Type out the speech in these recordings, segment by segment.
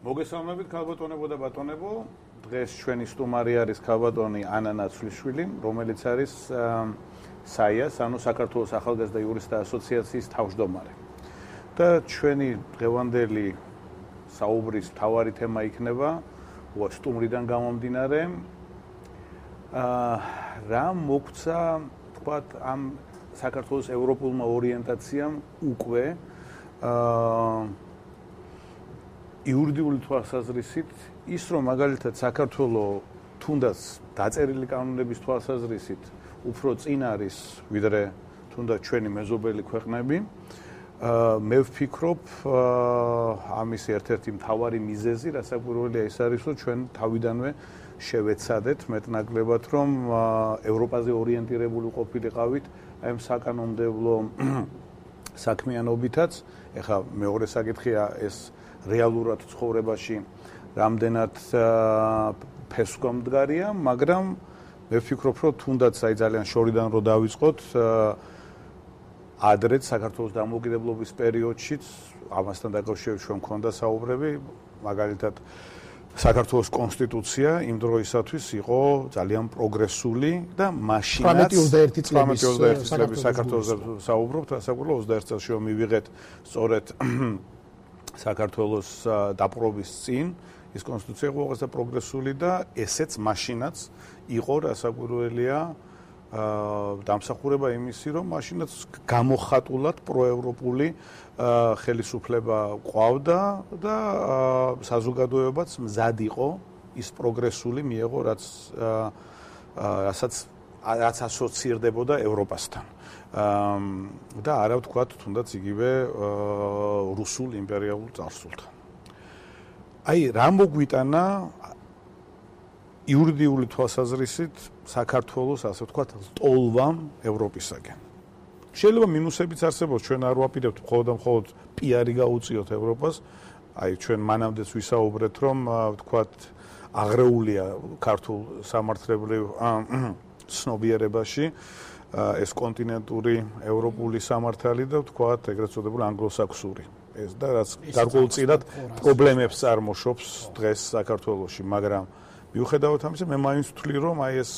მოგესალმებით ქალბატონებო და ბატონებო. დღეს ჩვენი სტუმარი არის ქალბატონი ანა ნაცვლიშვილი, რომელიც არის SAIA-ს, ანუ საქართველოს ახალგაზრდა იურისტთა ასოციაციის თავმჯდომარე. და ჩვენი დღევანდელი საუბრის მთავარი თემა იქნება სტუმრიდან გამომდინარე რა მოგვცა თქვათ ამ საქართველოს ევროპულმა ორიენტაციამ უკვე იურიდიული თვალსაზრისით ის რომ მაგალითად საქართველოს თუნდაც დაწერილი კანონების თვალსაზრისით უფრო წინ არის ვიდრე თუნდაც ჩვენი მეზობელი ქვეყნები მე ვფიქრობ ამის ერთ-ერთი მთავარი მიზეზი რასაკვირველია ის არის რომ ჩვენ თავიდანვე შევეცადეთ მეტნაკლებად რომ ევროპაზე ორიენტირებული ყოფილიყავით აი ამ საკანონმდებლო საქმიანობითაც ეხლა მეორე საკითხია ეს რეალურად ცხოვრებაში რამდენად ფესვგამდგარია, მაგრამ მე ვფიქრობ, რომ თუნდაც აი ძალიან შორიდან რო დავიწყოთ, ადრეც საქართველოს დამოუკიდებლობის პერიოდშიც ამასთან დაკავშირებით ჩვენ მქონდა საუბრები, მაგალითად საქართველოს კონსტიტუცია იმ დროისათვის იყო ძალიან პროგრესული და მაშინაც 1821 წლების საქართველოს საუბრობთ, რასაკვირველია 21 წელს რომ მივიღეთ სწორედ საქართველოს დაპყრობის წინ ის კონსტიტუცია იყო უაღრესად პროგრესული და ესეც მაშინაც იყო რასაკვირველია დამსახურება იმისი რომ მაშინაც გამოხატულად პროევროპული ხელისუფლება ყავდა და საზოგადოებაც მზად იყო ის პროგრესული მიეღო რაც ასოცირდებოდა ევროპასთან და არა ვთქვათ თუნდაც იგივე რუსულ იმპერიალურ წარსულთან. აი რა მოგვიტანა იურიდიული თვალსაზრისით საქართველოს ასე ვთქვათ ლტოლვამ ევროპისაგან. შეიძლება მინუსებიც არსებობს, ჩვენ არ ვაპირებთ მხოლოდ პიარი გაუწიოთ ევროპას. აი ჩვენ მანამდეც ვისაუბრეთ რომ ვთქვათ აღრეულია ქართულ სამართლებრივ ცნობიერებაში ეს კონტინენტური ევროპული სამართალი და ვთქვათ ეგრეთ წოდებული ანგლოსაქსური ეს და რაც გარკვეულწილად პრობლემებს წარმოშობს დღეს საქართველოში, მაგრამ მიუხედავად ამისა მე მაინც ვთვლი რომ აი ეს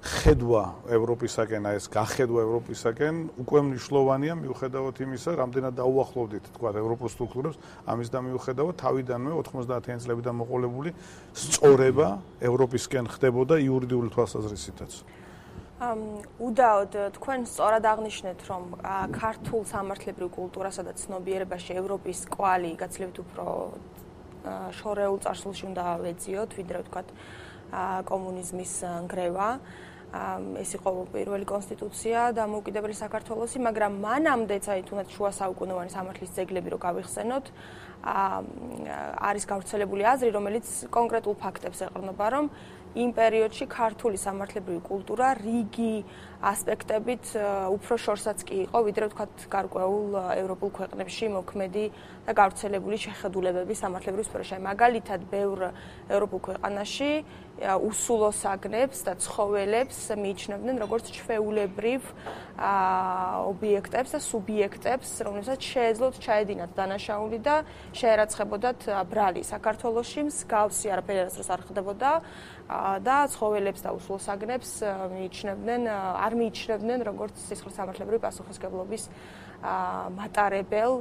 ხედვა ევროპისაკენ, აი ეს გახედვა ევროპისაკენ უკვე მნიშვნელოვანია მიუხედავად იმისა, რამდენად დაუახლოვდით თქვა ევროპულ სტრუქტურებს, ამის და მიუხედავად თავიდანვე 90-იან წლებიდან მოყოლებული სწორება ევროპისკენ ხდებოდა იურიდიული თვალსაზრისითაც. უდაოდ თქვენ სწორად აღნიშნეთ რომ ქართულ სამართლებრივ კულტურასა და ცნობიერებაში ევროპის კვალი გაცილებით უფრო შორეულ წარსულში უნდა ვეძიოთ ვიდრე ვთქვათ კომუნიზმის ნგრევა ეს იყო პირველი კონსტიტუცია დამოუკიდებელი საქართველოსი, მაგრამ მანამდეც აი თუნდაც შუა საუკუნოვანი სამართლის ძეგლები რო გავიხსენოთ არის გავრცელებული აზრი, რომელიც კონკრეტულ ფაქტებს ეყრდნობა, რომ იმ პერიოდში ქართული სამართლებრივი კულტურა რიგი ასპექტებით უფრო შორსაც კი იყო, ვიდრე ვთქვათ გარკვეულ ევროპულ ქვეყნებში მოქმედი და გავრცელებული შეხედულებების სამართლებრივ სფეროში. მაგალითად, ბევრ ევროპულ ქვეყანაში უსულო საგნებს და ცხოველებს მიიჩნევდნენ როგორც ჩვეულებრივ ობიექტებს და სუბიექტებს, რომლებსაც შეეძლოთ ჩაედინათ დანაშაული და შეერაცხებოდათ ბრალი. საქართველოში მსგავსი არაფერი არ ხდებოდა და ცხოველებს და უსულო საგნებს არ მიიჩნევდნენ როგორც სისხლის სამართლებრივი პასუხისმგებლობის მატარებელ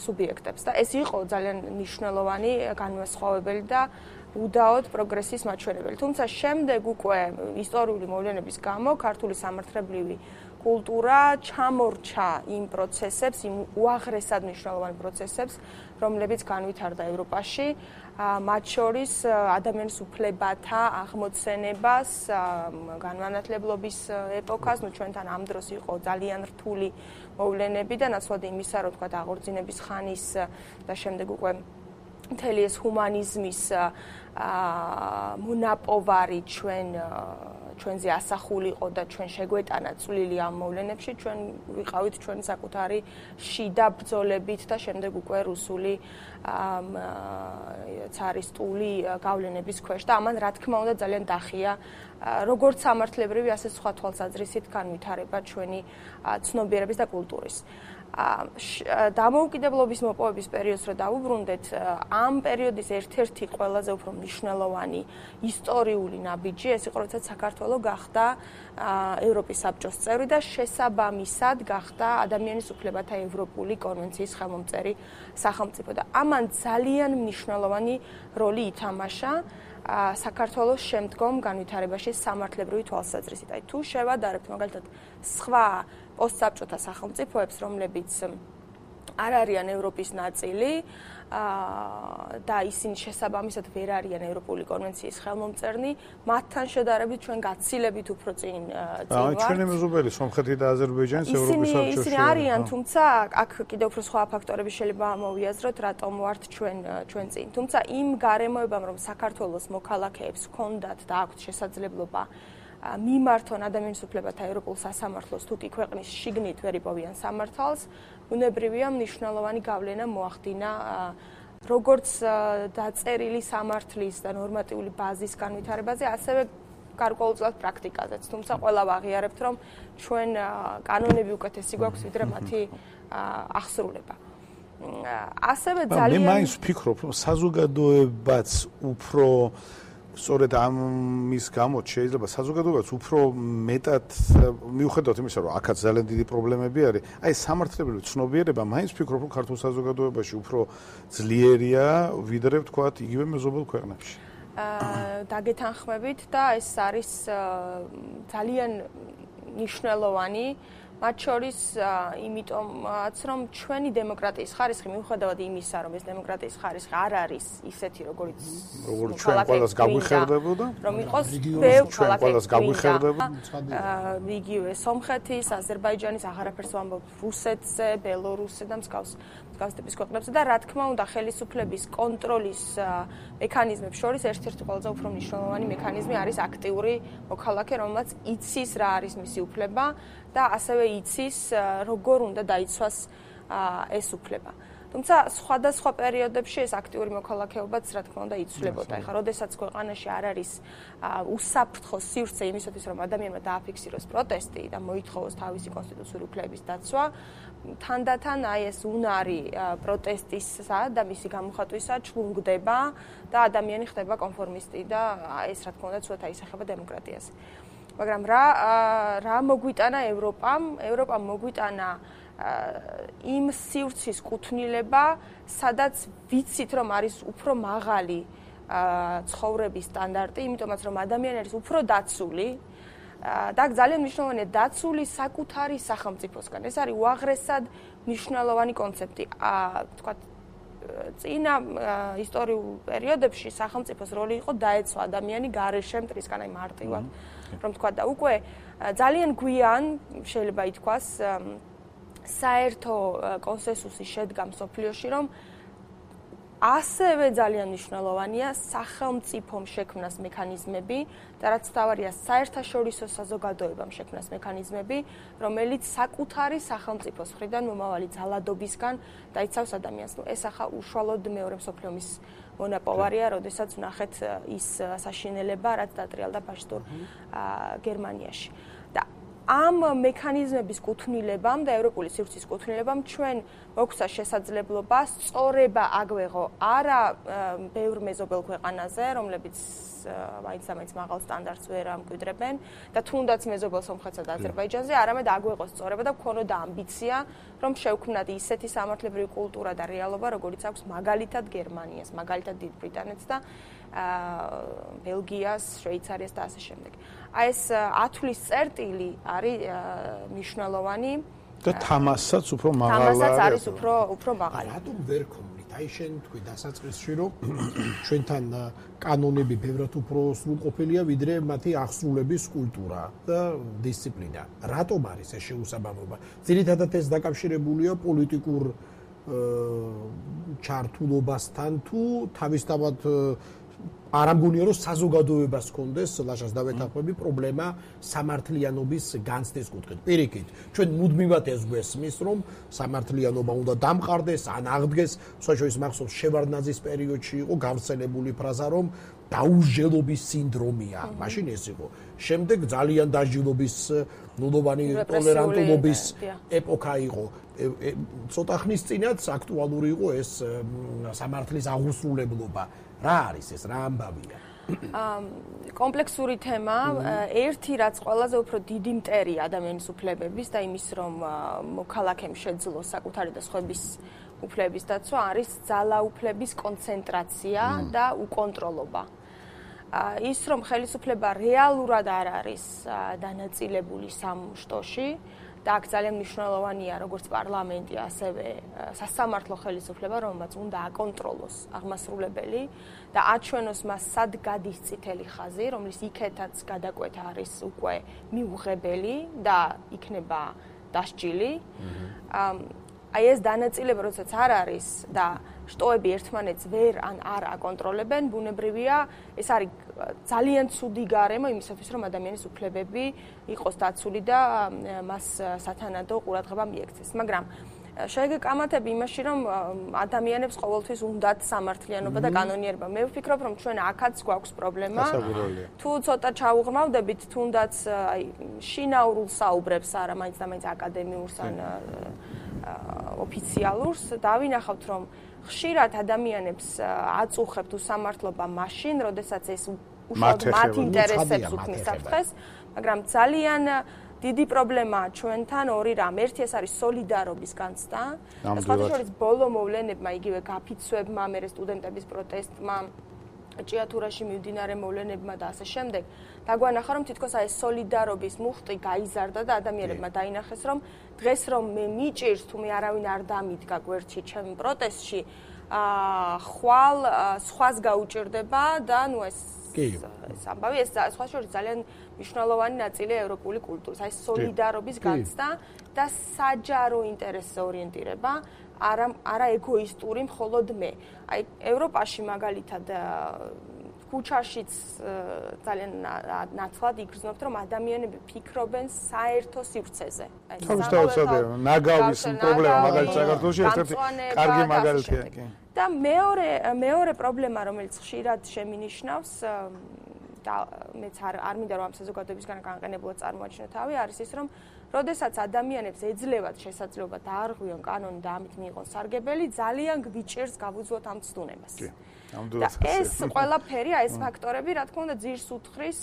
სუბიექტებს და ეს იყო ძალიან მნიშვნელოვანი განმასხვავებელი და უდაოდ პროგრესის მაჩვენებელი. თუმცა შემდეგ უკვე ისტორიული მოვლენების გამო ქართული სამართლებრივი კულტურა ჩამორჩა იმ პროცესებს, იმ უაღრესად მნიშვნელოვან პროცესებს, რომლებიც განვითარდა ევროპაში, მათ შორის ადამიანის უფლებათა აღმოცენებას, განმანათლებლობის ეპოქას, ჩვენთან ამ დროს იყო ძალიან რთული მოვლენები და ნაცვლად იმისა, რომ თქვა აღორძინების ხანის და შემდეგ უკვე მთელი ეს ჰუმანიზმის მონაპოვარი ჩვენზე ასახულიყო და ჩვენ შეგვეტანა წვლილი ამ მოვლენებში, ჩვენ ვიყავით ჩვენი საკუთარი შიდა ბრძოლებით და შემდეგ უკვე რუსული цаრისტული გავლენების ქვეშ და ამან რა თქმა უნდა ძალიან დახია როგორც სამართლებრივი, ასე სხვა თვალსაზრისით განვითარება ჩვენი ცნობიერების და კულტურის. დამოუკიდებლობის მოპოვების პერიოდს რო დავუბრუნდეთ, ამ პერიოდის ერთ-ერთი ყველაზე უფრო მნიშვნელოვანი ისტორიული ნაბიჯი ეს იყო, როცა საქართველო გახდა ევროპის საბჭოს წევრი და შესაბამისად გახდა ადამიანის უფლებათა ევროპული კონვენციის ხელმომწერი სახელმწიფო და ამან ძალიან მნიშვნელოვანი როლი ითამაშა საქართველოს შემდგომ განვითარებაში სამართლებრივი თვალსაზრისით. აი თუ შევადარებთ მაგალითად სხვა პოსტსაბჭოთა სახელმწიფოებს, რომლებიც არ არიან ევროპის ნაწილი და ისინი შესაბამისად ვერ არიან ევროპული კონვენციის ხელმომწერნი, მათთან შედარებით ჩვენ გაცილებით უფრო წინ ვართ. ჩვენი მეზობელი სომხეთი და აზერბაიჯანიც ევროპის საბჭოში. ისინი არიან, თუმცა აქ კიდევ უფრო სხვა ფაქტორები შეიძლება მოვიაზროთ, რატომ ვართ ჩვენ წინ. თუმცა იმ გარემოებამ, რომ საქართველოს მოქალაქეებს ჰქონდათ და აქვთ შესაძლებლობა მიმართონ ადამიანის უფლებათა ევროპულ სასამართლოს თუ კი ქვეყნის შიგნით ვერ იპოვიან სამართალს, უნებრივია მნიშვნელოვანი გავლენა მოახდინა როგორც დაწერილი სამართლის და ნორმატიული ბაზის განვითარებაზე, ასევე გარკვეულწილად პრაქტიკაზეც. თუმცა ყველა ვაღიარებთ, რომ ჩვენ კანონები უკეთესი გვაქვს, ვიდრე მათი აღსრულება. ასევე ძალიან მე მაინც ვფიქრობ, რომ საზოგადოებაც უფრო სწორედ ამის გამო შეიძლება საზოგადოებაც უფრო მეტად მიუხედავად იმისა, რომ აქაც ძალიან დიდი პრობლემები არის, აი სამართლებრივი ცნობიერება მაინც ვფიქრობ, რომ ქართულ საზოგადოებაში უფრო ძლიერია, ვიდრე ვთქვათ, იგივე მეზობელ ქვეყნებში. დაგეთანხმებით და ეს არის ძალიან მნიშვნელოვანი მათ შორის იმიტომაც რომ ჩვენი დემოკრატიის ხარისხი მიუხედავად იმისა რომ ეს დემოკრატიის ხარისხი არ არის ისეთი როგორც ჩვენ ყველას გაგვიხერდებოდა რომ იყოს ბევრ ყველას გაგვიხერდებოდა იგივე სომხეთის, აზერბაიჯანის, აღარაფერს ვამბობ რუსეთზე, ბელორუსზე და მსგავს ტიპის ქვეყნებზე და რა თქმა უნდა ხელისუფლების კონტროლის მექანიზმებს შორის ერთ-ერთი ყველაზე უფრო მნიშვნელოვანი მექანიზმი არის აქტიური მოქალაქე, რომელმაც იცის რა არის მისი უფლება და ასევე იცის როგორ უნდა დაიცვას ეს უფლება. თუმცა სხვადასხვა პერიოდებში ეს აქტიური მოქალაქეობაც რა თქმა უნდა იცვლებოდა. ეხლა როდესაც ქვეყანაში არ არის უსაფრთხო სივრცე იმისათვის რომ ადამიანმა დააფიქსიროს პროტესტი და მოითხოვოს თავისი კონსტიტუციური უფლებების დაცვა, თანდათან აი ეს უნარი პროტესტისა და მისი გამოხატვისა ჩლუნგდება და ადამიანი ხდება კონფორმისტი და ეს რა თქმა უნდა ცოტა ისახება დემოკრატიას. მაგრამ რა მოგვიტანა ევროპამ მოგვიტანა იმ სივრცის კუთვნილება, სადაც ვიცით რომ არის უფრო მაღალი ცხოვრების სტანდარტი, იმიტომაც რომ ადამიანი არის უფრო დაცული და ძალიან მნიშვნელოვანია დაცული საკუთარი სახელმწიფოსგან. ეს არის უაღრესად მნიშვნელოვანი კონცეფტი. თქვათ წინა ისტორიულ პერიოდებში სახელმწიფოს როლი იყო დაეცვა ადამიანი გარეშე მტრისგან, აი მარტივად რომ თქვა და უკვე ძალიან გვიან შეიძლება ითქვას საერთო კონსენსუსი შედგა მსოფლიოში, რომ ასევე ძალიან მნიშვნელოვანია სახელმწიფომ შექმნას მექანიზმები და რაც თავარია საერთაშორისო საზოგადოებამ შექმნას მექანიზმები, რომელიც საკუთარი სახელმწიფოს მხრიდან მომავალი ძალადობისგან დაიცავს ადამიანს. ეს ახლა უშუალოდ მეორე მსოფლიო ომის მონაპოვარია, როდესაც ვნახეთ ის საშინელება, რაც დატრიალდა ფაშისტურ გერმანიაში. და ამ მექანიზმების კუთვნილებამ და ევროპული სივრცის კუთვნილებამ ჩვენ მოგვცა შესაძლებლობა სწორება აგვეღო არა ბევრ მეზობელ ქვეყანაზე, რომლებიც მაინც მაღალ სტანდარტს ვერ ამკვიდრებენ და თუნდაც მეზობელ სომხეთსა და აზერბაიჯანზე, არამედ აგვეღო სწორება და გქონოდა ამბიცია, რომ შევქმნათ ისეთი სამართლებრივი კულტურა და რეალობა, როგორიც აქვს მაგალითად გერმანიას, მაგალითად დიდ ბრიტანეთს და ბელგიას, შვეიცარიას და ასე შემდეგ. აი ეს ათვლის წერტილი არის მნიშვნელოვანი და თამასაც უფრო მაღალი. თამასაც არის უფრო მაღალი. რატომ ვერ ქონდით? აი შენ თქვი დასაწყისში რომ ჩვენთან კანონები ბევრად უფრო სრულყოფილია ვიდრე მათი აღსრულების კულტურა და დისციპლინა. რატომ არის ეს შეუსაბამობა? ძირითადად ეს დაკავშირებულია პოლიტიკურ ჩართულობასთან თუ თავისთავად არ ამგონია რომ საზოგადოებას ჰქონდეს ლაშას დავეთანხმები პრობლემა სამართლიანობის განცდის კუთხით. პირიქით, ჩვენ მუდმივად ეს გვესმის რომ სამართლიანობა უნდა დამყარდეს, ან აღდგეს, სხვაშორის მახსოვს შევარდნაძის პერიოდში იყო გავრცელებული ფრაზა რომ დაუსჯელობის სინდრომია. მაშინ ეს იყო. შემდეგ ძალიან დაჟილობის ნულოვანი ტოლერანტულობის ეპოქა იყო. ცოტა ხნის წინაც აქტუალური იყო ეს სამართლის აღუსრულებლობა. რა არის ეს, რა ამბავია? კომპლექსური თემა, ერთი რაც ყველაზე უფრო დიდი მტერი ადამიანის უფლებების და იმის რომ მოქალაქემ შეძლოს საკუთარი და სხვების უფლების დაცვა არის ძალაუფლების კონცენტრაცია და უკონტროლობა. ის რომ ხელისუფლება რეალურად არ არის დანაწილებული სამ შტოში და აქ ძალიან მნიშვნელოვანია როგორც პარლამენტი, ასევე სასამართლო ხელისუფლება, რომელმაც უნდა აკონტროლოს აღმასრულებელი და აჩვენოს მას სად გადის წითელი ხაზი, რომლის იქეთაც გადაკვეთა არის უკვე მიუღებელი და იქნება დასჯილი. აი ეს დანაწილება, როდესაც არ არის და შტოები ერთმანეთს ვერ არ აკონტროლებენ, ბუნებრივია, ეს არის ძალიან ცუდი გარემო იმისათვის, რომ ადამიანის უფლებები იყოს დაცული და მას სათანადო ყურადღება მიექცეს. მაგრამ შეიძლება კამათები იმაში, რომ ადამიანებს ყოველთვის უნდათ სამართლიანობა და კანონიერება. მე ვფიქრობ, რომ ჩვენ აქაც გვაქვს პრობლემა. თუ ცოტა ჩაუღრმავდებით, თუნდაც აი შინაურულ საუბრებს არა, მაინც და მაინც აკადემიურს ან ოფიციალურს, დავინახავთ, რომ ხშირად ადამიანებს აწუხებთ უსამართლობა მაშინ, როდესაც ეს უშუალოდ მათ ინტერესებს უქმნის საფრთხეს, მაგრამ ძალიან დიდი პრობლემაა ჩვენთან ორი რამ. ერთი ეს არის სოლიდარობის განცდა. სხვათა შორის ბოლო მოვლენებმა, იგივე გაფიცვებმა, მერე სტუდენტების პროტესტმა, ჭიათურაში მიმდინარე მოვლენებმა და ასე შემდეგ, დაგვანახა, რომ თითქოს აი ეს სოლიდარობის მუხტი გაიზარდა და ადამიანებმა დაინახეს, რომ დღეს რომ მე მიჭირს, თუ მე არავინ არ დამიდგა გვერდში ჩემ პროტესტში, ხვალ სხვას გაუჭირდება და ნუ ეს ამბავი ეს სხვა შორის ძალიან მნიშვნელოვანი ნაწილია ევროპული კულტურის, აი სოლიდარობის განცდა და საჯარო ინტერესზე ორიენტირება, არა ეგოისტური მხოლოდ მე. აი ევროპაში მაგალითად ქუჩაშიც ძალიან ნაცვლად იგრძნობთ, რომ ადამიანები ფიქრობენ საერთო სივრცეზე. თავისთავად ნაგავის პრობლემა მაგალითად საქართველოში ერთ-ერთი კარგი მაგალითია. და მეორე პრობლემა, რომელიც ხშირად შემინიშნავს და მეც არ მინდა რომ ამ საზოგადოებისგან განყენებლად წარმოაჩინო თავი, არის ის, რომ როდესაც ადამიანებს ეძლევათ შესაძლებლობა დაარღვიონ კანონი და ამით მიიღონ სარგებელი, ძალიან გვიჭერს გავუძლოთ ამ ცდუნებას. და ეს ყველაფერი, ეს ფაქტორები, რა თქმა უნდა, ძირს უთხრის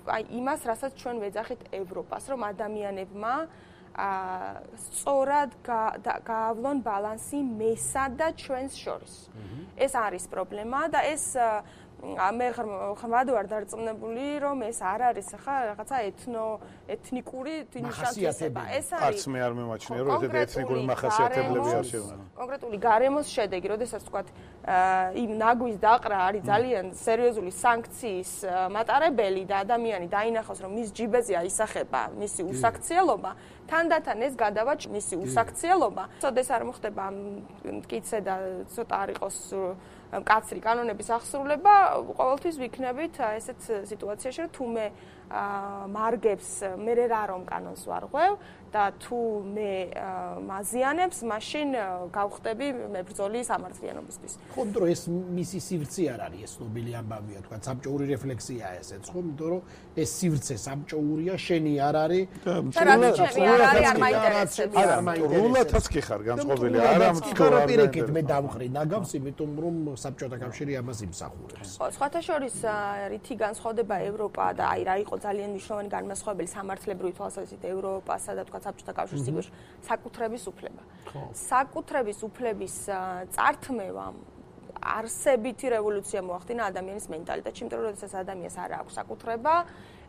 აი იმას, რასაც ჩვენ ვეძახით ევროპას, რომ ადამიანებმა სწორად გაავლონ ბალანსი მესა და ჩვენს შორის. ეს არის პრობლემა და ეს მე ხმად ვარ დარწმუნებული, რომ ეს არ არის ხა რაღაცა ეთნიკური ნიშანსება. ეს არის არც მე არ მემაჩნია, რომ ეს ეთნიკური მახასიათებლები არ შეგვენა. კონკრეტული გარემოს შედეგი, როდესაც ვთქვათ, იმ ნაგვის დაყრა არის ძალიან სერიოზული სანქციის მატარებელი და ადამიანი დაინახავს, რომ მის ჯიბეზე აისახება მისი უსაქციელობა, თანდათან ეს გადავა მისი უსაქციელობა. ცოტა არ მოხდება მტკიცე და ცოტა არ იყოს მკაცრი კანონების აღსრულება, ყოველთვის ვიქნებით ესეთ სიტუაციაში, რომ თუ მე მარგებს მე რა რომ კანონს ვარღვევ და თუ მე მაზიანებს, მაშინ გავხდები მებრძოლი სამართლიანობისთვის. ხო, იმიტომ რომ ეს მისი სივრცე არ არის, ეს ნობილი ამბავია, თქვა საბჭოური რეფლექსიაა ესეც, ხო, იმიტომ რომ ეს სივრცე საბჭოურია, შენი არ არის და რაც ჩემი არ არის, არ მაინტერესებს. რულათაც კი ხარ განწყობილი, არა მწკარა პირიქით მე დავხრი ნაგავს, იმიტომ რომ საბჭოთა კავშირი ამას იმსახურებს. ხო, სხვათა შორის რითი განსხვავდება ევროპა და აი რა იყო ძალიან მნიშვნელოვანი განმასხვავებელი სამართლებრივი თვალსაზრისით ევროპასა და თქვა საბჭოთა კავშირის სიგოში საკუთრების უფლება. საკუთრების უფლების წართმევამ არსებითი რევოლუცია მოახდინა ადამიანის მენტალიტეტში, იმიტომ რომ როდესაც ადამიანს არ აქვს საკუთრება,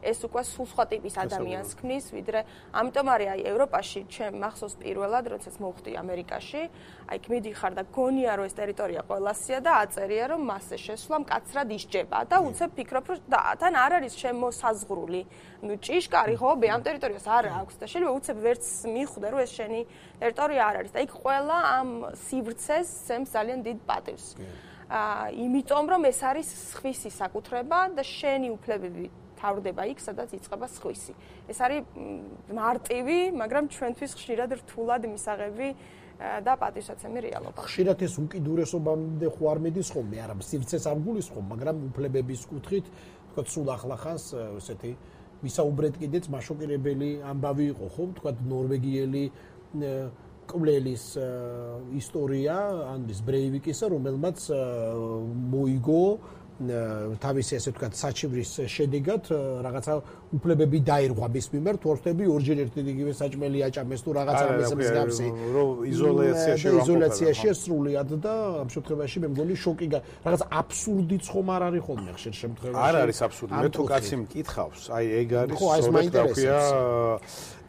ეს უკვე სულ სხვა ტიპის ადამიანს ქმნის, ვიდრე ამიტომ არის აი ევროპაში ჩემ მახსოვს პირველად, როდესაც მოვხდი ამერიკაში, აი მიდიხარ და გონია რომ ეს ტერიტორია ყველასია და აწერია რომ მასზე შესვლა მკაცრად ისჯება და უცებ ფიქრობ რომ თან არ არის შემოსაზღვრული. ნუ ჭიშკარი ხო, ამ ტერიტორიას არ აქვს და შეიძლება უცებ ვერც მიხვდე რომ ეს შენი ტერიტორია არ არის და იქ ყველა ამ სივრცეს სცემს ძალიან დიდ პატივს. იმიტომ რომ ეს არის სხვისი საკუთრება და შენი უფლებები თავდება იქ, სადაც იწყება სხვისი. ეს არის მარტივი, მაგრამ ჩვენთვის ხშირად რთულად მისაღები და პატივსაცემი რეალობა. ხშირად ეს უკიდურესობამდე ხო არ მიდის ხოლმე, არა, სივრცეს არ გულისხმობ, მაგრამ უფლებების კუთხით თქვა სულ ახლახანს ესეთი ვისაუბრეთ კიდეც მაშოკირებელი ამბავი იყო, ხო? თქვა ნორვეგიელი კვლელის ისტორია ანდრის ბრეივიკისა, რომელმაც მოიგო თავისი ასე ვთქვათ საჩივრის შედეგად რაღაცა უფლებები დაირღვა მის მიმართ, თორსტები ორჯერ ერთი იგივე საჭმელი აჭამეს თუ რაღაცა ამის მსგავსი. იზოლაციაშია სრულიად და ამ შემთხვევაში მე მგონი შოკი რაღაც აბსურდიც ხომ არ არის ხოლმე ხშირ შემთხვევაში. არ არის აბსურდი. მე თუ კაცი მკითხავს, აი ეგ არის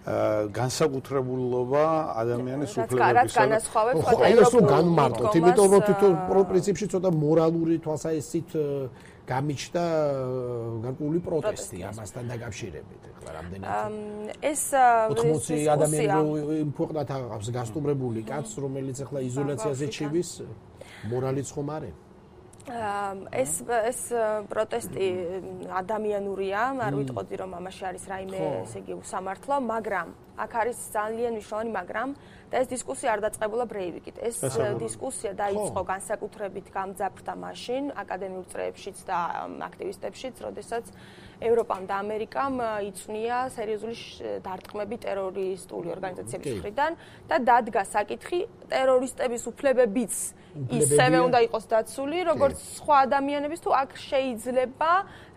განსაკუთრებულობა ადამიანის უფლებებისა. რაც განასხვავებს ხო, ეს რომ განმარტოთ, იმიტომ რომ თვითონ პრინციპში ცოტა მორალური თვალსაჩინით გამიჩნდა გარკვეული პროტესტი ამასთან დაკავშირებით. ეხლა რამდენად ეს 80 ადამიანი იმ ქვეყნად აღავს გასტუმრებული კაცს, რომელიც ეხლა იზოლაციაზე ჩივის, მორალიც ხომ არის? ეს პროტესტი ადამიანურია, არ ვიტყოდი რომ ამაში არის რაიმე ესე იგი უსამართლო, მაგრამ აქ არის ძალიან მნიშვნელოვანი მაგრამ და ეს დისკუსია არ დაწყებულა ბრეივიკით. ეს დისკუსია დაიწყო განსაკუთრებით გამძაფრდა მაშინ აკადემიურ წრეებშიც და აქტივისტებშიც, როდესაც ევროპამ და ამერიკამ იწვნია სერიოზული დარტყმები ტერორისტული ორგანიზაციების მხრიდან და დადგა საკითხი ტერორისტების უფლებებიც ისევე უნდა იყოს დაცული, როგორც სხვა ადამიანების, თუ აქ შეიძლება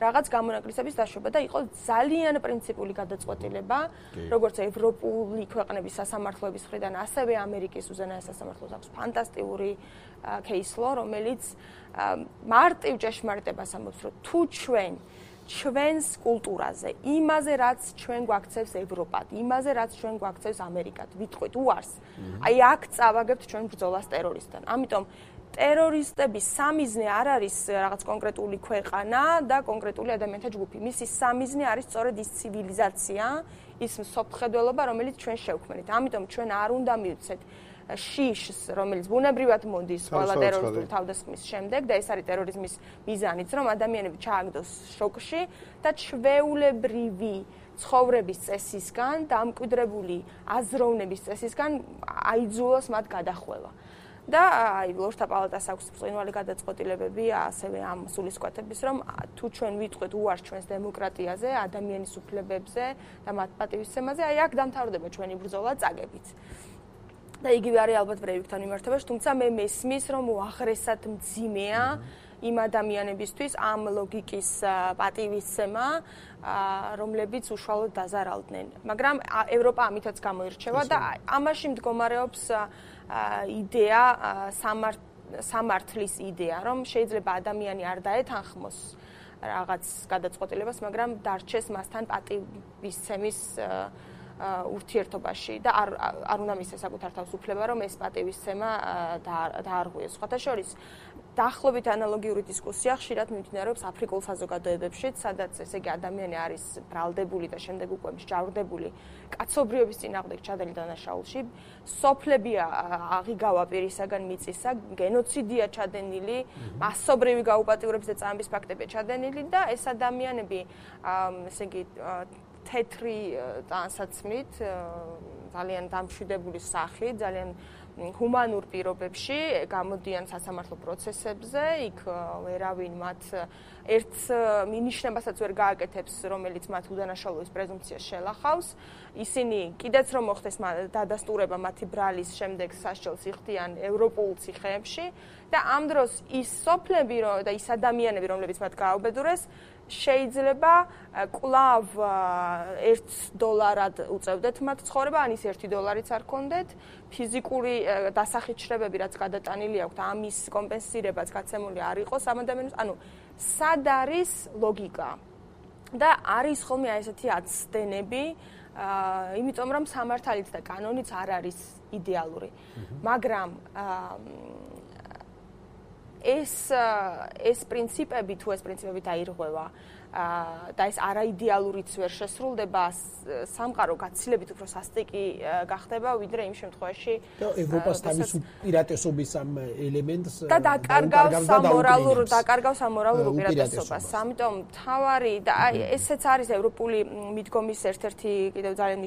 რაღაც გამონაკლისების დაშვება და იყოს ძალიან პრინციპული გადაწყვეტილება, როგორც ევროპული ქვეყნების სასამართლოების მხრიდან, ასევე ამერიკის უზენაეს სასამართლოს აქვს ფანტასტიკური case law, რომელიც მარტივ ჭეშმარიტებას ამბობს, რომ თუ ჩვენს კულტურაზე, იმაზე, რაც ჩვენ გვაქცევს ევროპად, იმაზე, რაც ჩვენ გვაქცევს ამერიკად, ვიტყვით უარს. აი აქ წავაგებთ ჩვენ ბრძოლას ტერორისტთან. ამიტომ ტერორისტების სამიზნე არ არის რაღაც კონკრეტული ქვეყანა და კონკრეტული ადამიანთა ჯგუფი. მისი სამიზნე არის სწორედ ის ცივილიზაცია, ის მსოფლმხედველობა, რომელიც ჩვენ შევქმნით. ამიტომ ჩვენ არ უნდა მივცეთ შიშს, რომელიც ბუნებრივად მოდის ყველა ტერორისტული თავდასხმის შემდეგ და ეს არის ტერორიზმის მიზანიც, რომ ადამიანები ჩააგდოს შოკში და ჩვეულებრივი ცხოვრების წესისგან, დამკვიდრებული აზროვნების წესისგან აიძულოს მათ გადახვევა. და აი ლორდთა პალატას აქვს ბრწყინვალე გადაწყვეტილებები ასევე ამ სულისკვეთების, რომ თუ ჩვენ ვიტყვით უარს ჩვენს დემოკრატიაზე, ადამიანის უფლებებზე და მათ პატივისცემაზე, აი აქ დამთავრდება ჩვენი ბრძოლა წაგებით. და იგივე არის ალბათ ბრეივიკთან მიმართებაში, თუმცა მე მესმის, რომ უაღრესად მძიმეა იმ ადამიანებისთვის ამ ლოგიკის პატივისცემა, რომლებიც უშუალოდ დაზარალდნენ. მაგრამ ევროპა ამითაც გამოირჩევა და ამაში მდგომარეობს იდეა, სამართლის იდეა, რომ შეიძლება ადამიანი არ დაეთანხმოს რაღაც გადაწყვეტილებას, მაგრამ დარჩეს მასთან პატივისცემის ურთიერთობაში და არ უნდა მისცეს საკუთარ თავს უფლება, რომ ეს პატივისცემა დაარღვიოს. სხვათა შორის, დაახლოებით ანალოგიური დისკუსია ხშირად მიმდინარეობს აფრიკულ საზოგადოებებშიც, სადაც ესე იგი ადამიანი არის ბრალდებული და შემდეგ უკვე მსჯავრდებული კაცობრიობის წინააღმდეგ ჩადენილი დანაშაულში, სოფლებია აღიგავა პირისაგან მიწისა, გენოციდია ჩადენილი, მასობრივი გაუპატიურების და წამების ფაქტებია ჩადენილი და ეს ადამიანები ესე იგი თეთრი ტანსაცმლით, ძალიან დამშვიდებული სახით, ძალიან ჰუმანურ პირობებში გამოდიან სასამართლო პროცესებზე, იქ ვერავინ მათ ერთ მინიშნებასაც ვერ გააკეთებს, რომელიც მათ უდანაშაულობის პრეზუმპციას შელახავს. ისინი კიდეც რომ მოხდეს დადასტურება მათი ბრალის შემდეგ სასჯელს იხდიან ევროპულ ციხეებში და ამ დროს ის სოფლები და ის ადამიანები, რომლებიც მათ გააუბედურეს, შეიძლება კვლავ $1 უწევდეთ მათ ცხოვრება, ან ის $1 არ კონდეთ, ფიზიკური დასახით შრებები, რაც გადატანილი აქვთ, ამის კომპენსირებაც გაცემული არ იყოს ამ ადამიანებს, ანუ სად არის ლოგიკა? და არის ხოლმე აი ესეთი აცდენები, იმიტომ რომ სამართალიც და კანონიც არ არის იდეალური. მაგრამ ეს პრინციპები თუ ეს პრინციპები დაირღვევა და ეს არაიდეალურიც ვერ შესრულდება, სამყარო გაცილებით უფრო სასტიკი გახდება, ვიდრე იმ შემთხვევაში და ევროპას თავის უპირატესობის ამ ელემენტს და დაკარგავს ამორალურ უპირატესობას. ამიტომ თავარი და აი ესეც არის ევროპული მიდგომის ერთ-ერთი კიდევ ძალიან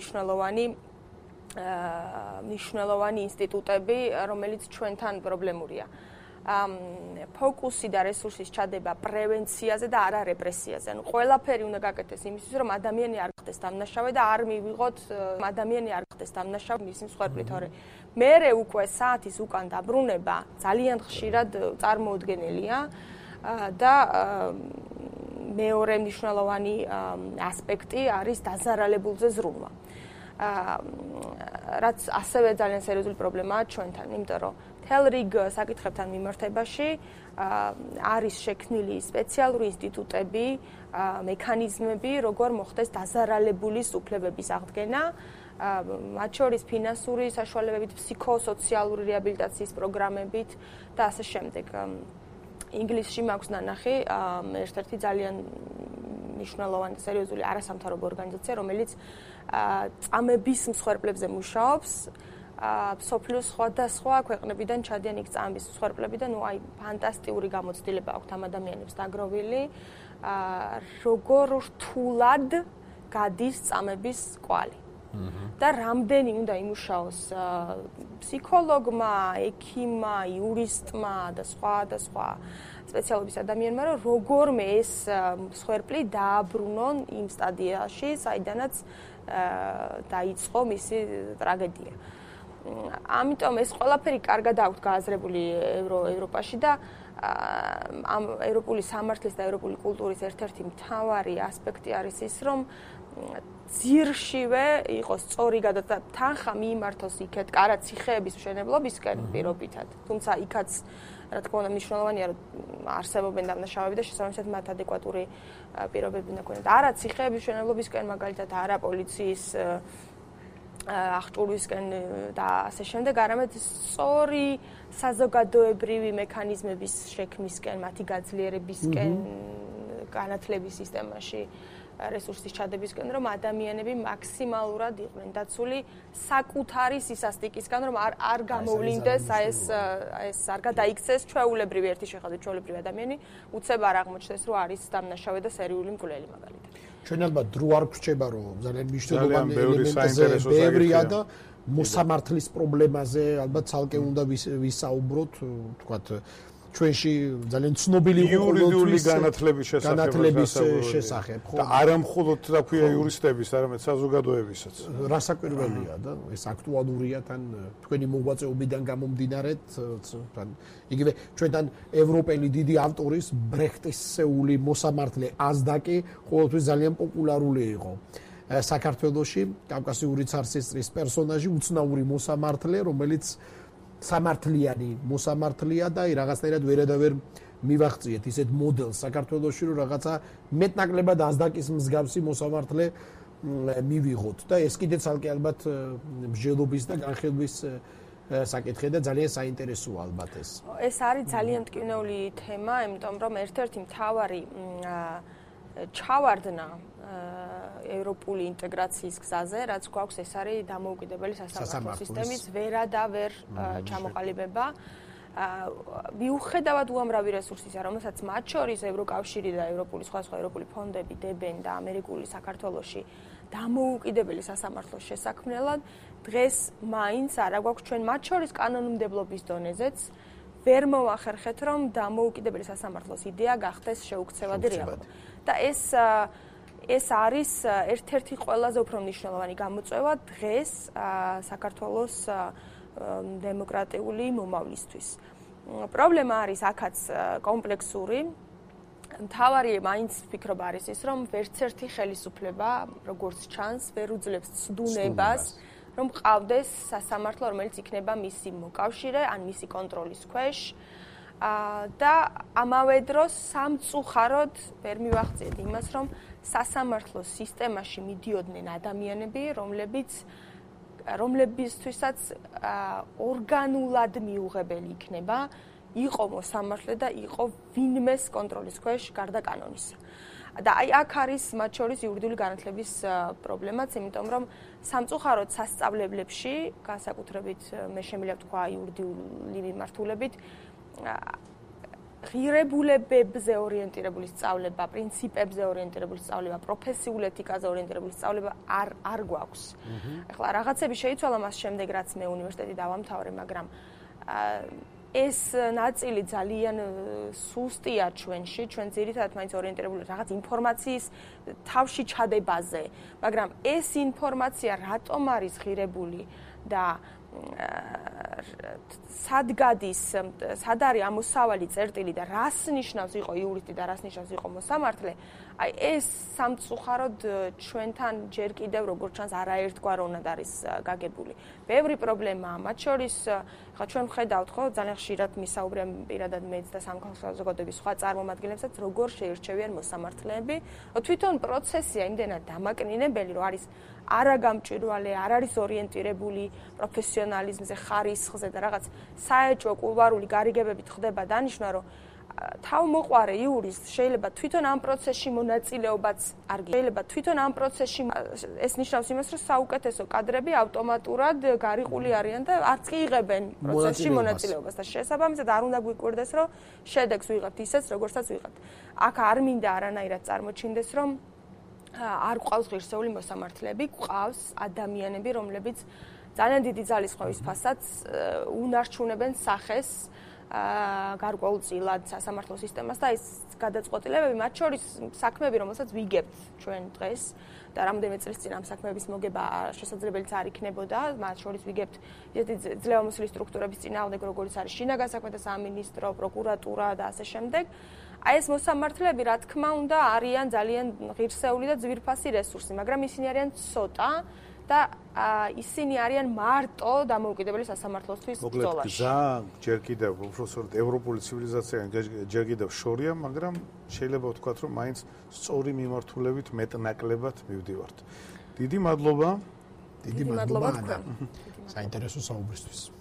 მნიშვნელოვანი ინსტიტუტები, რომელიც ჩვენთან პრობლემურია. ფოკუსი და რესურსის ჩადება პრევენციაზე და არა რეპრესიაზე. ანუ ყველაფერი უნდა გაკეთდეს იმისთვის, რომ ადამიანი არ ხდეს დამნაშავე და არ მივიღოთ ადამიანი არ ხდეს დამნაშავე მის მსხვერპლით, თორე მერე უკვე საათის უკან დაბრუნება ძალიან ხშირად წარმოუდგენელია და მეორე მნიშვნელოვანი ასპექტი არის დაზარალებულზე ზრუნვა. რაც ასევე ძალიან სერიოზული პრობლემაა ჩვენთან, იმიტომ რომ მთელ რიგ საკითხებთან მიმართებაში არის შექმნილი სპეციალური ინსტიტუტები, მექანიზმები, როგორ მოხდეს დაზარალებულის უფლებების აღდგენა, მათ შორის ფინანსური საშუალებებით, ფსიქოსოციალური რეაბილიტაციის პროგრამებით და ასე შემდეგ. ინგლისში მაქვს ნანახი ერთ-ერთი ძალიან მნიშვნელოვანი და სერიოზული არასამთავრობო ორგანიზაცია, რომელიც წამების მსხვერპლებზე მუშაობს. მსოფლიოს სხვადასხვა ქვეყნებიდან ჩადიან იქ წამების მსხვერპლები და ნუ აი ფანტასტიკური გამოცდილება აქვთ ამ ადამიანებს დაგროვილი, როგორ რთულად გადის წამების კვალი. და რამდენი უნდა იმუშაოს ფსიქოლოგმა, ექიმმა, იურისტმა და სხვა სპეციალობის ადამიანმა, რომ როგორმე ეს მსხვერპლი დააბრუნონ იმ სტადიაში, საიდანაც დაიწყო მისი ტრაგედია. ამიტომ ეს ყველაფერი კარგად აქვს გააზრებული ევროპაში და ამ ევროპული სამართლის და ევროპული კულტურის ერთ-ერთი მთავარი ასპექტი არის ის, რომ ძირშივე იყოს სწორი გადაწყვეტა, თანხა მიიმართოს იქეთ, კარაც ციხეების მშენებლობისკენ პირობითად. თუმცა იქაც რა თქმა უნდა მნიშვნელოვანია, რომ არსებობენ დამნაშავეები და შესაბამისად მათ ადეკვატური პირობები უნდა ქონათ. არა ციხეების მშენებლობისკენ, მაგალითად, არა პოლიციის აღჭურვისკენ და ასე შემდეგ, არამედ სწორი საზოგადოებრივი მექანიზმების შექმნისკენ, მათი გაძლიერებისკენ, განათლების სისტემაში რესურსის ჩადებისკენ, რომ ადამიანები მაქსიმალურად იყვნენ დაცული საკუთარი სისასტიკისგან, რომ არ გამოვლინდეს ეს არ გადაიქცეს ჩვეულებრივი ერთი შეხედვით ჩვეულებრივი ადამიანი, უცებ არ აღმოჩნდეს, რომ არის დამნაშავე და სერიული მკვლელი მაგალითად. ჩვენ ალბათ დრო არ გვრჩება, რომ ძალიან მნიშვნელოვანი ელემენტზე ბევრია და მოსამართლის პრობლემაზე ალბათ ცალკე უნდა ვისაუბროთ, თქვათ ჩვენში ძალიან ცნობილი იურიდიული განათლების შესახებ, და არა მხოლოდ თქვია იურისტების, არამედ საზოგადოებისაც. რასაკვირველია და ეს აქტუალურია თან თქვენი მოღვაწეობიდან გამომდინარეთ, თან იგივე ჩვენთან ევროპელი დიდი ავტორის ბრეხტისეული მოსამართლე აზდაკი ყოველთვის ძალიან პოპულარული იყო. საქართველოში კავკასიური ცარცისტრის პერსონაჟი, უცნაური მოსამართლე, რომელიც სამართლიანი მოსამართლეა და რაღაცნაირად ვერადავერ მივახციეთ ისეთ მოდელს საქართველოში, რომ რაღაცა მეტნაკლებად აზდაკის მსგავსი მოსამართლე მივიღოთ და ეს კიდე ცალკე ალბათ მსჯელობის და განხილვის საკითხია და ძალიან საინტერესოა ალბათ ეს. ეს არის ძალიან მტკივნეული თემა, იმიტომ რომ ერთ-ერთი მთავარი ჩავარდნა ევროპული ინტეგრაციის გზაზე, რაც გვაქვს, ეს არის დამოუკიდებელი სასამართლო სისტემის ვერადავერ ჩამოყალიბება. მიუხედავად უამრავი რესურსისა, რომელსაც მათ შორის ევროკავშირი და ევროპული სხვადასხვა ევროპული ფონდები დებენ და ამერიკული საქართველოში დამოუკიდებელი სასამართლოს შესაქმნელად, დღეს მაინც არა გვაქვს ჩვენ მათ შორის კანონმდებლობის დონეზეც ვერ მოვახერხეთ, რომ დამოუკიდებელი სასამართლოს იდეა გახდეს შეუქცევადი რეალობა. და ეს არის ერთ-ერთი ყველაზე უფრო მნიშვნელოვანი გამოწვევა დღეს საქართველოს დემოკრატიული მომავლისთვის. პრობლემა არის აქაც კომპლექსური. მთავარი მაინც ვფიქრობ არის ის, რომ ვერცერთი ხელისუფლება, როგორც ჩანს, ვერ უძლებს ცდუნებას, რომ ყავდეს სასამართლო, რომელიც იქნება მისი მოკავშირე ან მისი კონტროლის ქვეშ. და ამავე დროს სამწუხაროდ ვერ მივახციეთ იმას, რომ სასამართლო სისტემაში მიდიოდნენ ადამიანები, რომლებისთვისაც ორგანულად მიუღებელი იქნება იყო მოსამართლე და იყო ვინმეს კონტროლის ქვეშ გარდა კანონისა. და აი აქ არის მათ შორის იურიდიული განათლების პრობლემაც, იმიტომ რომ სამწუხაროდ სასწავლებლებში, განსაკუთრებით მე შემიძლია ვთქვა იურიდიული მიმართულებით, ღირებულებებზე ორიენტირებული სწავლება, პრინციპებზე ორიენტირებული სწავლება, პროფესიულ ეთიკაზე ორიენტირებული სწავლება არ გვაქვს. ახლა რაღაცები შეიცვალა მას შემდეგ, რაც მე უნივერსიტეტი დავამთავრე, მაგრამ ეს ნაწილი ძალიან სუსტია ჩვენში, ჩვენ ძირითადად მაინც ორიენტირებული რაღაც ინფორმაციის თავში ჩადებაზე, მაგრამ ეს ინფორმაცია რატომ არის ღირებული და სად გადის, სად არის ამოსავალი წერტილი და რას ნიშნავს იყო იურისტი და რას ნიშნავს იყო მოსამართლე, აი ეს სამწუხაროდ ჩვენთან ჯერ კიდევ როგორც ჩანს არაერთგვაროვნად არის გაგებული. ბევრი პრობლემაა, მათ შორის ხა ჩვენ ვხედავთ ხო ძალიან ხშირად მისაუბრებენ პირადად მეც და სამხატვრო საზოგადოების სხვა წარმომადგენლებსაც როგორ შეირჩევიან მოსამართლეები. თვითონ პროცესია იმდენად დამაკნინებელი, რომ არის არაგამჭვირვალე, არ არის ორიენტირებული პროფესიონალიზმზე, ხარისხზე და რაღაც საეჭვო კულვარული გარიგებებით ხდება დანიშნა, რომ თავმოყვარე იურისტ შეიძლება თვითონ ამ პროცესში მონაწილეობაც არ შეიძლება თვითონ ამ პროცესში ეს ნიშნავს იმას, რომ საუკეთესო კადრები ავტომატურად გარიყული არიან და არც კი იღებენ პროცესში მონაწილეობას და შესაბამისად არ უნდა გვიკვირდეს, რომ შედეგს ვიღებთ ისეც, როგორცაც ვიღებთ. აქ არ მინდა არანაირად წარმოჩინდეს, რომ არ გვყავს ღირსეული მოსამართლეები, გვყავს ადამიანები, რომლებიც ძალიან დიდი ძალისხმევის ფასაც უნარჩუნებენ სახეს გარკვეულწილად სასამართლო სისტემას და ეს გადაწყვეტილებები, მათ შორის საქმეები, რომელსაც ვიგებთ ჩვენ დღეს და რამდენიმე წლის წინ ამ საქმეების მოგება შესაძლებელიც არ იქნებოდა, მათ შორის ვიგებთ ისეთი ძლევამოსილი სტრუქტურების წინააღმდეგ, როგორც არის შინაგან საქმეთა სამინისტრო, პროკურატურა და ასე შემდეგ. აი ეს მოსამართლეები, რა თქმა უნდა, არიან ძალიან ღირსეული და ძვირფასი რესურსი, მაგრამ ისინი არიან ცოტა და ისინი არიან მარტო დამოუკიდებელი სასამართლოსთვის ბრძოლაში. მოკლედ გზა ჯერ კიდევ უბრალოდ ევროპული ცივილიზაციიდან ჯერ კიდევ შორია, მაგრამ შეიძლება ვთქვათ, რომ მაინც სწორი მიმართულებით მეტნაკლებად მივდივართ. დიდი მადლობა. დიდი მადლობა საინტერესო საუბრისთვის.